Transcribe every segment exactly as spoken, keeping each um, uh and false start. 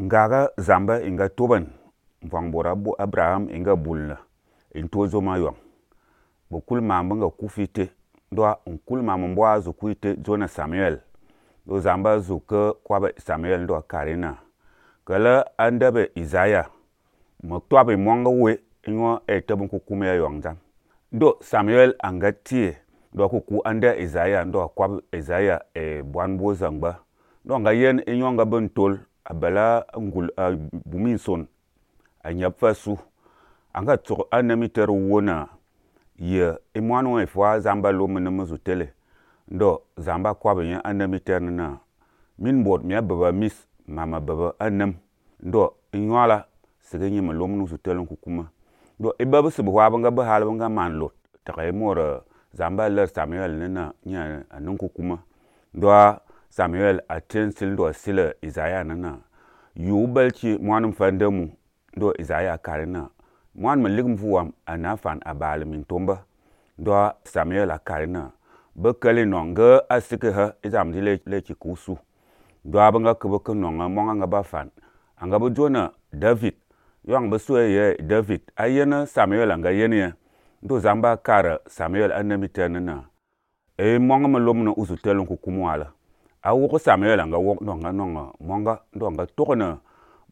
ngaga zamba inga toban vang bora Abraham inga bulna in tozo ma yong bokul mamba nga kufite do unkul mamba mbwa zu kuite zona Samuel do zamba zu ke kwabe Samuel do karina kala andabe Isaiah mo twabe monga we ingo e tabun ku kuma ya yong jam do Samuel anga tie do ku ku anda Isaiah do kwab Isaiah e bwanbo zangba do nga yen inyo nga bentol abala ngul uh, bumin son anyap fasu anga tsok anamiter wona ye imwanu e fwa zamba lo mena muzu tele ndo zamba kwabe nya anamiter na min bot mi baba mis mama baba anam ndo inwala sigenyi malom nu tele ku kuma do e baba se bwa banga ba hal banga man lot takay mor zamba ler Samuel nena nya anun ku kuma ndo Samuel aten sil do sila Isaiah nana yu balci mwanum fandemu do Isaiah karina mwan maligum fuwam anafan abal min tomba do Samuel karina bekale nonga asike ha izam dile leki kusu do abanga kebeke nonga monga ngaba fan anga bo jona David yang beswe ye David ayena Samuel anga yene do zamba kara Samuel anamitenna e monga malom no usutelon ku kumwala a woko Samuel anga wok nonga nonga monga ndo nga tokona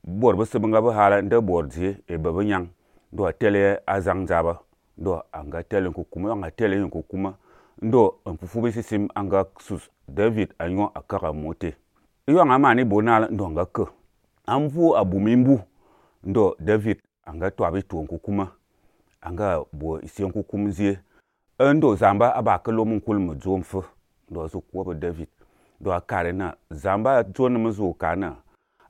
bor bese nga ba hala nda bordi e baba nyang ndo tele azang jaba ndo anga tele ku kuma anga tele ku kuma ndo mfufu bisi sim anga sus David anyo akara mote iyo nga mani bonala ndo nga ke amfu abumimbu ndo David anga twabi tu ku kuma anga bo isi ku kumzie ndo zamba abakelo mun kulmu jomfu ndo su ko David do akare na zamba jona muzu kana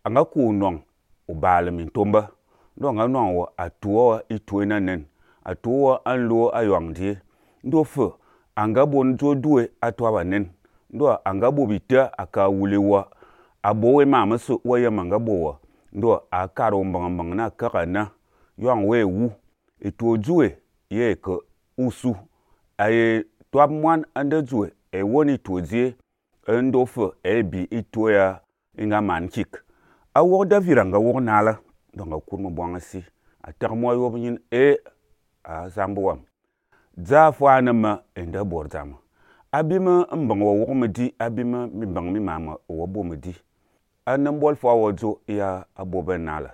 anga ku nong ubale min tomba do nga nong wo atuwa ituena nen atuwa anlo ayongdi ndo fu anga bon jo duwe atwa nen ndo anga bobita aka wulewa abowe mama su waya manga bowa ndo akaro mbang mbang na kakana yong we wu itu juwe ye ko usu aye twab mwan ande juwe e woni tozie endo fu ebi itoya inga mankik a wo David anga wo nala donga kurmo bwangasi atar mo yob nyin e a zambuwam za fwana ma enda bordama abima mbang wo wo medi abima mi bang mi mama wo bo medi anam bol fo wo jo ya abobe nala